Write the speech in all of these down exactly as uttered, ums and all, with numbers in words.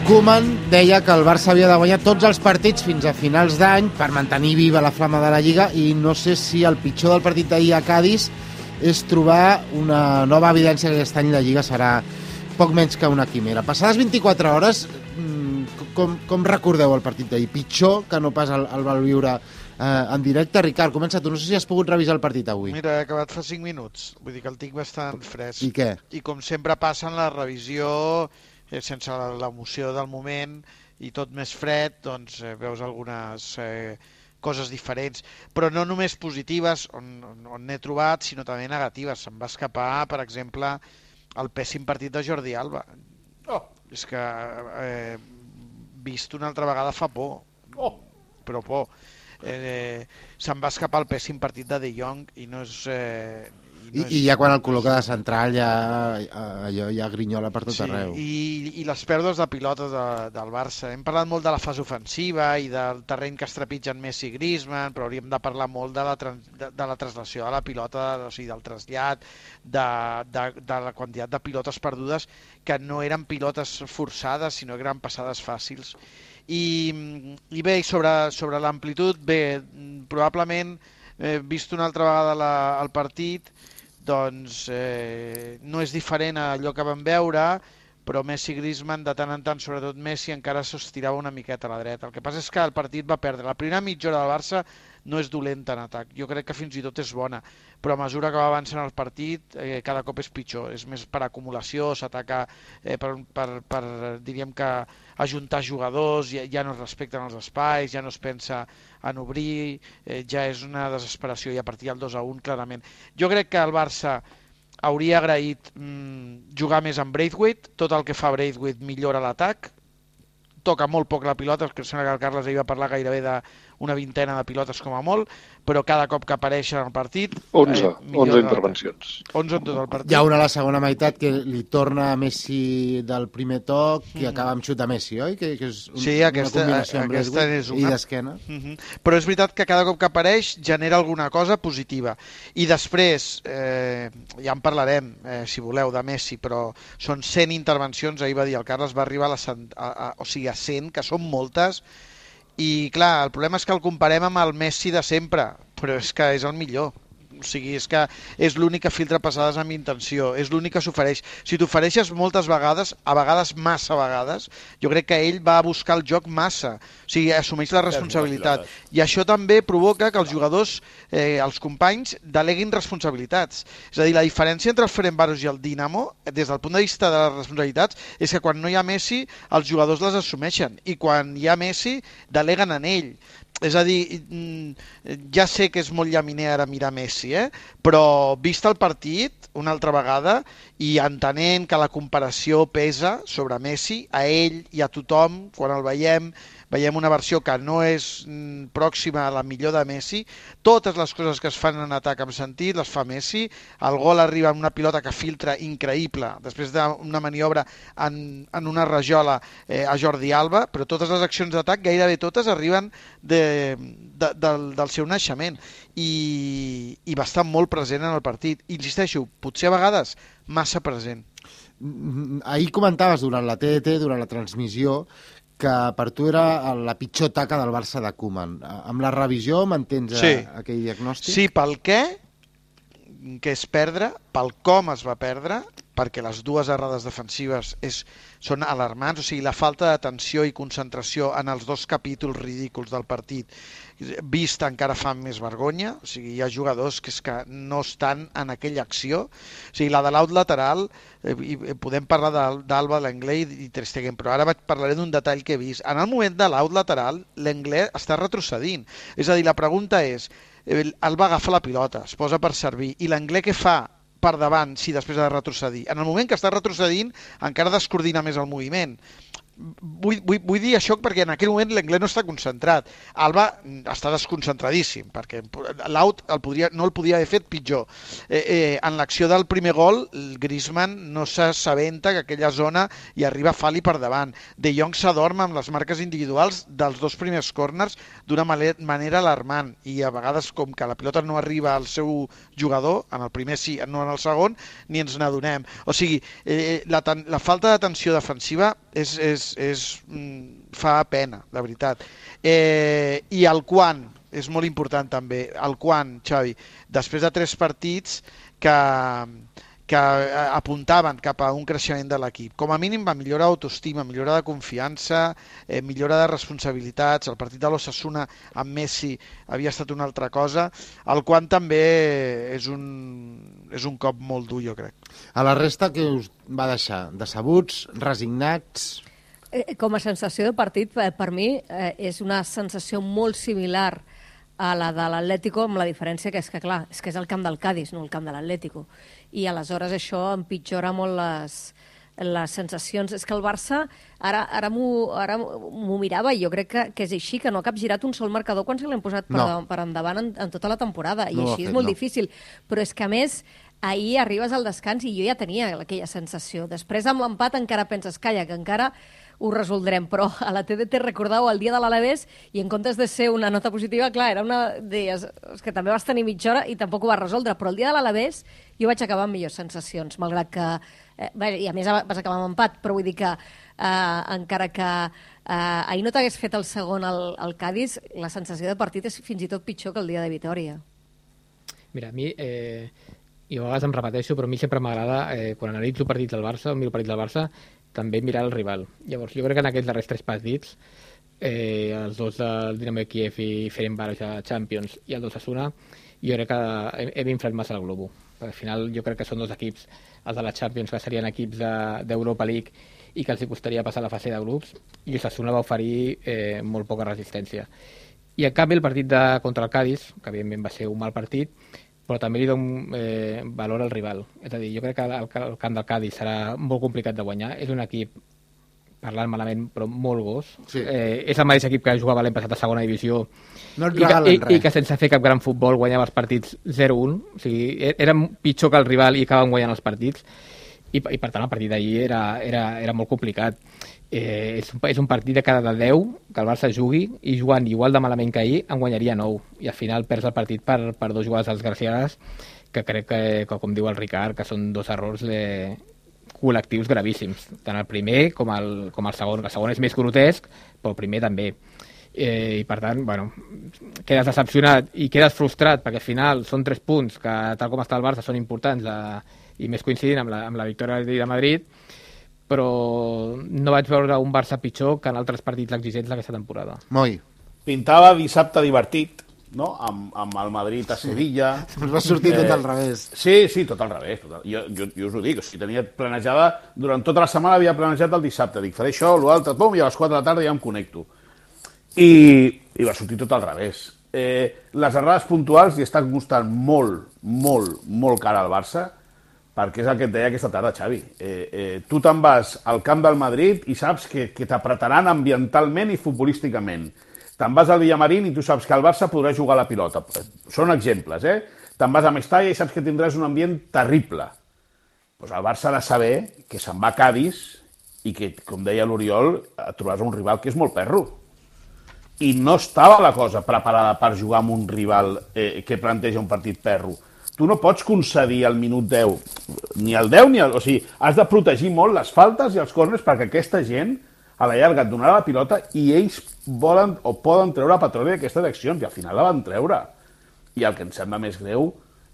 Koeman deia que el Barça havia de guanyar tots els partits fins a finals d'any per mantenir viva la flama de la Lliga, i no sé si el pitjor del partit d'ahir a Cádiz és trobar una nova evidència que aquest any la Lliga serà poc menys que una quimera. Passades vint-i-quatre hores, com, com recordeu el partit d'ahir? Pitjor que no pas el, el va viure eh, en directe? Ricard, comença tu. No sé si has pogut revisar el partit avui. Mira, he acabat fa cinc minuts. Vull dir que el tinc bastant fresc. I què? I com sempre passa en la revisió, eh, sense l'emoció del moment i tot més fred, doncs eh, veus algunes eh, coses diferents, però no només positives, on, on, on n'he trobat, sinó també negatives. Se'm va escapar, per exemple, el pèssim partit de Jordi Alba. Oh. És que eh, vist una altra vegada fa por, oh. però por. Eh, se'm va escapar el pèssim partit de De Jong i no és... Eh, I, I ja quan el col·loca de central ja, allò ja grinyola per tot sí, arreu. I, i les pèrdues de pilota de, del Barça. Hem parlat molt de la fase ofensiva i del terreny que es trepitgen Messi i Griezmann, però hauríem de parlar molt de la, trans, de, de la translació de la pilota, o sigui, del trasllat, de, de, de la quantitat de pilotes perdudes, que no eren pilotes forçades, sinó que eren passades fàcils. I, i bé, sobre, sobre l'amplitud, bé, probablement, eh, vist una altra vegada la, el partit, doncs eh, no és diferent a allò que vam veure, però Messi i Griezmann, de tant en tant, sobretot Messi, encara s'estirava una miqueta a la dreta. El que passa és que el partit va perdre. La primera mitja hora del Barça no és dolenta en atac, jo crec que fins i tot és bona, però a mesura que va avançant el partit eh, cada cop és pitjor, és més per acumulació, s'ataca eh, per, per, per, diríem que ajuntar jugadors, ja, ja no es respecten els espais, ja no es pensa en obrir, eh, ja és una desesperació, i a partir del dos a un clarament. Jo crec que el Barça hauria agraït mm, jugar més amb Braithwaite, tot el que fa Braithwaite millora l'atac, toca molt poc la pilota, que sembla que el Carles ahir va parlar gairebé d'una vintena de pilotes com a molt, però cada cop que apareix en el partit... onze, eh, onze intervencions. onze en tot el partit. Hi ha una a la segona meitat que li torna a Messi del primer toc i mm. acaba amb xut a Messi, oi? Que, que és un, sí, aquesta, una combinació amb aquesta és una... i d'esquena. Mm -hmm. Però és veritat que cada cop que apareix genera alguna cosa positiva. I després, eh, ja en parlarem, eh, si voleu, de Messi, però són cent intervencions, ahir va dir el Carles, va arribar a, la cent, a, a, o sigui, a cent, que són moltes, i clar, el problema és que el comparem amb el Messi de sempre, però és que és el millor. O sigui, és que és l'únic que filtra passades amb intenció, és l'únic que s'ofereix. Si t'ofereixes moltes vegades, a vegades massa vegades, jo crec que ell va a buscar el joc massa, o sigui, assumeix la responsabilitat. I això també provoca que els jugadors, eh, els companys, deleguin responsabilitats. És a dir, la diferència entre el Ferencváros i el Dinamo, des del punt de vista de les responsabilitats, és que quan no hi ha Messi, els jugadors les assumeixen, i quan hi ha Messi, deleguen en ell. És a dir, ja sé que és molt llaminer ara mirar Messi, eh? Però vist el partit una altra vegada i entenent que la comparació pesa sobre Messi, a ell i a tothom, quan el veiem, veiem una versió que no és pròxima a la millor de Messi, totes les coses que es fan en atac amb sentit les fa Messi, el gol arriba amb una pilota que filtra increïble, després d'una maniobra en, en una rajola eh, a Jordi Alba, però totes les accions d'atac, gairebé totes, arriben de, de, del, del seu naixement, i, i va estar molt present en el partit. Insisteixo, potser a vegades massa present. Ahir comentaves durant la T D T, durant la transmissió, que per tu era la pitjor taca del Barça de Koeman. Amb la revisió mantens sí. aquell diagnòstic? Sí, pel què, que és perdre, pel com es va perdre, perquè les dues errades defensives és, són alarmants, o sigui, la falta d'atenció i concentració en els dos capítols ridículs del partit vist encara fan més vergonya, o sigui, hi ha jugadors que és que no estan en aquella acció, o sigui, la de l'out lateral, eh, i podem parlar d'Alba, Lenglet i Ter Stegen, però ara parlaré d'un detall que he vist. En el moment de l'out lateral, Lenglet està retrocedint, és a dir, la pregunta és, Alba agafa la pilota, es posa per servir, i Lenglet què fa per davant si després ha de retrocedir? En el moment que està retrocedint encara descoordina més el moviment. Vull, vull, vull dir això perquè en aquell moment l'Anglès no està concentrat. Alba està desconcentradíssim, perquè l'out el podria, no el podia haver fet pitjor. Eh, eh, en l'acció del primer gol, el Griezmann no s'assabenta que aquella zona hi arriba Fali per davant. De Jong s'adorm amb les marques individuals dels dos primers corners d'una manera alarmant, i a vegades com que la pilota no arriba al seu jugador, en el primer sí, no en el segon, ni ens n'adonem. O sigui, eh, la, la falta d'atenció defensiva és, és és, és, fa pena, la veritat. Eh, I el quan, és molt important també, el quan, Xavi, després de tres partits que, que apuntaven cap a un creixement de l'equip. Com a mínim va millorar d'autoestima, millora de confiança, eh, millora de responsabilitats. El partit de l'Osasuna amb Messi havia estat una altra cosa. El quan també és un, és un cop molt dur, jo crec. A la resta, què us va deixar? Decebuts, resignats? Com a sensació de partit, per mi, eh, és una sensació molt similar a la de l'Atlético, amb la diferència que és que, clar, és que és el camp del Cádiz, no el camp de l'Atlético. I aleshores això empitjora molt les, les sensacions. És que el Barça, ara, ara m'ho mirava i jo crec que, que és així, que no ha capgirat un sol marcador quan se l'hem posat per, no. per endavant en, en tota la temporada. I no així fet, és molt no. difícil. Però és que, a més, ahir arribes al descans i jo ja tenia aquella sensació. Després, amb l'empat, encara penses, calla, que encara ho resoldrem, però a la T D T recordau el dia de l'Alavés i en comptes de ser una nota positiva, clar, era una... Deies, és que també vas tenir mitja hora i tampoc ho vas resoldre, però el dia de l'Alavés jo vaig acabar amb millors sensacions, malgrat que... Eh, bé, i a més vas acabar amb empat, però vull dir que eh, encara que eh, ahir no t'hagués fet el segon al, al Cádiz, la sensació de partit és fins i tot pitjor que el dia de Vitòria. Mira, a mi... Eh... i a vegades em repeteixo, però a mi sempre m'agrada, eh, quan analitzo partits del Barça, o miro partits del Barça, també mirar el rival. Llavors, jo crec que en aquests darrers tres partits, eh, els dos del Dinamo de Kiev i Ferencváros a Champions i el d'Osasuna, jo crec que hem, hem inflat massa el globo. Al final jo crec que són dos equips, els de la Champions, que serien equips d'Europa de, League i que els costaria passar la fase de grups, i Osasuna va oferir eh, molt poca resistència. I en canvi el partit de, contra el Cádiz, que evidentment va ser un mal partit, però també li dono eh, valor al rival. És a dir, jo crec que el, el camp del Cádiz serà molt complicat de guanyar. És un equip, parlant malament, però molt gos. Sí. Eh, és el mateix equip que jugava l'any passat a segona divisió no i, que, i, i que sense fer cap gran futbol guanyava els partits zero un. O sigui, era pitjor que el rival i acabaven guanyant els partits. I, i per tant el partit d'ahir era, era, era molt complicat. Eh, és, un, és un partit de cada deu que el Barça jugui i jugant igual de malament que ahir en guanyaria nou i al final perds el partit per, per dos jugades desgraciades que crec que, que com diu el Ricard, que són dos errors de, col·lectius gravíssims, tant el primer com el, com el segon. El segon és més grotesc, però el primer també. Eh, I per tant, bueno, quedes decepcionat i quedes frustrat perquè al final són tres punts que tal com està el Barça són importants eh, i més coincidint amb la, amb la victòria de Madrid, però no vaig veure un Barça pitjor que en altres partits exigents d'aquesta temporada. Moi. Pintava dissabte divertit, no? Amb, amb el Madrid a Sevilla. Ens va sortir eh, tot al revés. Sí, sí, tot al revés. Tot al... Jo, jo, jo us ho dic, o sigui, tenia planejada, durant tota la setmana havia planejat el dissabte. Dic, faré això, l'altre, pum, i a les quatre de la tarda ja em connecto. I, i va sortir tot al revés. Eh, les errades puntuals li estan costant molt, molt, molt cara al Barça, perquè és el que et deia aquesta tarda, Xavi. Eh, eh, tu te'n vas al camp del Madrid i saps que, que t'apretaran ambientalment i futbolísticament. Te'n vas al Villamarín i tu saps que el Barça podrà jugar a la pilota. Són exemples, eh? Te'n vas a Mestalla i saps que tindràs un ambient terrible. Pues el Barça ha de saber que se'n va a Cádiz i que, com deia l'Oriol, trobaràs un rival que és molt perro. I no estava la cosa preparada per jugar amb un rival eh, que planteja un partit perro. Tu no pots concedir al minut deu, ni al deu ni al... O sigui, has de protegir molt les faltes i els córners perquè aquesta gent a la llarga et donarà la pilota i ells volen o poden treure petroli d'aquestes accions i al final la van treure. I el que em sembla més greu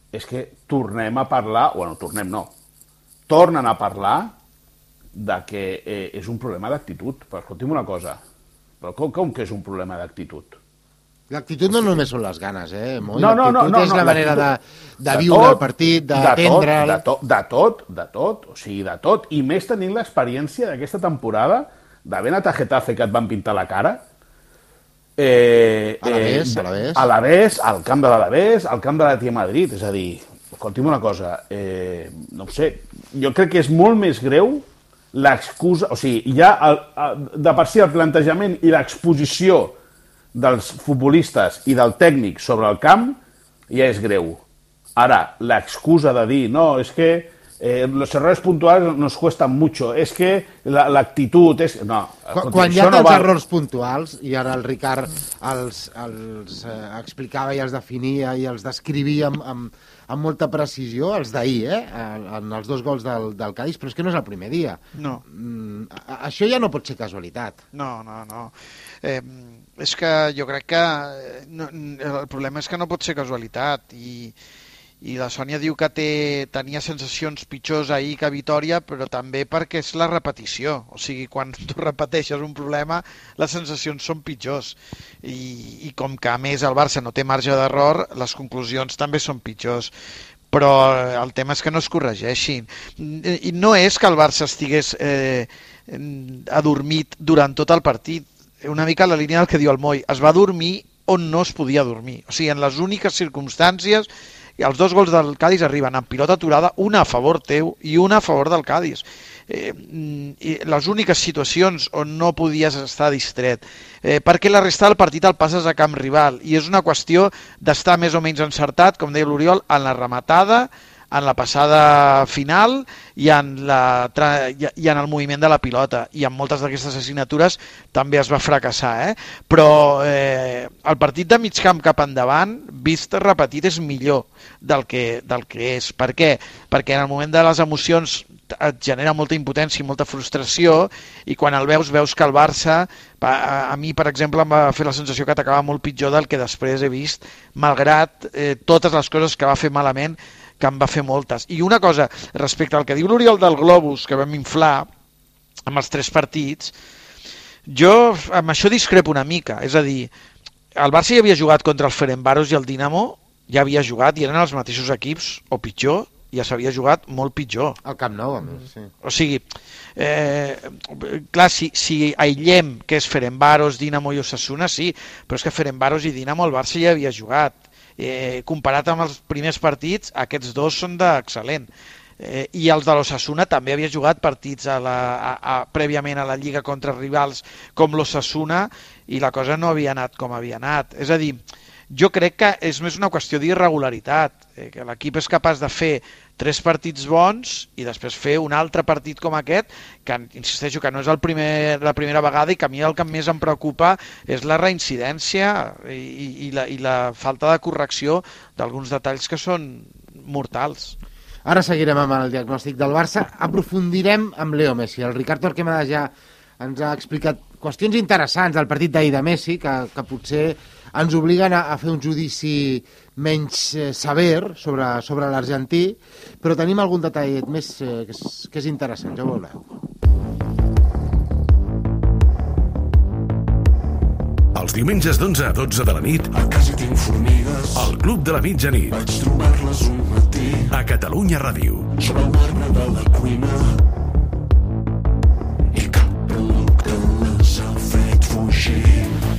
és que tornem a parlar, bueno, tornem no, tornen a parlar de que eh, és un problema d'actitud. Però escolti'm una cosa, però com, com que és un problema d'actitud? L'actitud no només són les ganes, eh, Moi? No, no, no, no, és la no, manera de, de viure el partit, d'atendre'l... De, tot, de tot, de tot, o sigui, de tot. I més tenint l'experiència d'aquesta temporada d'haver anat a Getafe que et van pintar la cara, eh, a l'Alavés, a l'Alavés, a l'Alavés, al camp de l'Alavés, al camp de l'Atlètic Madrid, és a dir, escolti'm una cosa, eh, no ho sé, jo crec que és molt més greu l'excusa, o sigui, ja el, el, de per si el plantejament i l'exposició dels futbolistes i del tècnic sobre el camp ja és greu. Ara, l'excusa de dir no, és que Eh, los errores puntuales nos cuestan mucho. Es que la, la actitud és... No, quan, quan hi ha tants no errors puntuals, i ara el Ricard els, els eh, explicava i els definia i els descrivia amb, amb, amb molta precisió, els d'ahir, eh? en els dos gols del, del Cádiz, però és que no és el primer dia. No. Mm, això ja no pot ser casualitat. No, no, no. Eh, és que jo crec que no, el problema és que no pot ser casualitat, i i la Sònia diu que té, tenia sensacions pitjors ahir que a Vitòria, però també perquè és la repetició. O sigui, quan tu repeteixes un problema, les sensacions són pitjors. I, i com que a més el Barça no té marge d'error, les conclusions també són pitjors. Però el tema és que no es corregeixin. I no és que el Barça estigués eh, adormit durant tot el partit. Una mica la línia del que diu el Moi. Es va dormir on no es podia dormir. O sigui, en les úniques circumstàncies... I els dos gols del Cádiz arriben amb pilota aturada, una a favor teu i una a favor del Cádiz. Eh, i les úniques situacions on no podies estar distret, eh, perquè la resta del partit el passes a camp rival, i és una qüestió d'estar més o menys encertat, com deia l'Oriol, en la rematada, en la passada final i en, la, i en el moviment de la pilota, i en moltes d'aquestes assignatures també es va fracassar, eh? Però eh, el partit de mig camp cap endavant, vist repetit, és millor del que, del que és. Per què? Perquè en el moment de les emocions et genera molta impotència i molta frustració, i quan el veus, veus que el Barça, a, a mi, per exemple, em va fer la sensació que atacava molt pitjor del que després he vist, malgrat eh, totes les coses que va fer malament, que en va fer moltes. I una cosa, respecte al que diu l'Oriol del Globus, que vam inflar amb els tres partits, jo amb això discrepo una mica. És a dir, el Barça ja havia jugat contra el Ferencváros i el Dinamo, ja havia jugat i eren els mateixos equips, o pitjor, ja s'havia jugat molt pitjor. Al Camp Nou, a més, sí. O sigui, eh, clar, si, si aïllem que és Ferencváros, Dinamo i Osasuna, sí, però és que Ferencváros i Dinamo el Barça ja havia jugat. Eh, comparat amb els primers partits, aquests dos són d'excel·lent. Eh, I els de l'Osasuna també havia jugat partits a la, a, a, prèviament a la Lliga contra rivals com l'Osasuna, i la cosa no havia anat com havia anat. És a dir, jo crec que és més una qüestió d'irregularitat, eh, que l'equip és capaç de fer tres partits bons i després fer un altre partit com aquest, que insisteixo que no és el primer, la primera vegada, i que a mi el que més em preocupa és la reincidència i, i, la, i la falta de correcció d'alguns detalls que són mortals. Ara seguirem amb el diagnòstic del Barça, aprofundirem amb Leo Messi. El Ricard Torquemada ja ens ha explicat qüestions interessants del partit d'ahir de Messi, que, que potser ens obliguen a, a fer un judici menys eh, sever sobre, sobre l'argentí, però tenim algun detall més eh, que, és, que és interessant, ja ho veureu. Els diumenges d'onze a dotze de la nit, a casa tinc formigues, al Club de la Mitjanit, vaig trobar-les un matí, a Catalunya Ràdio, sobre el marbre de la cuina, i cap ruc de les ha fet fugir.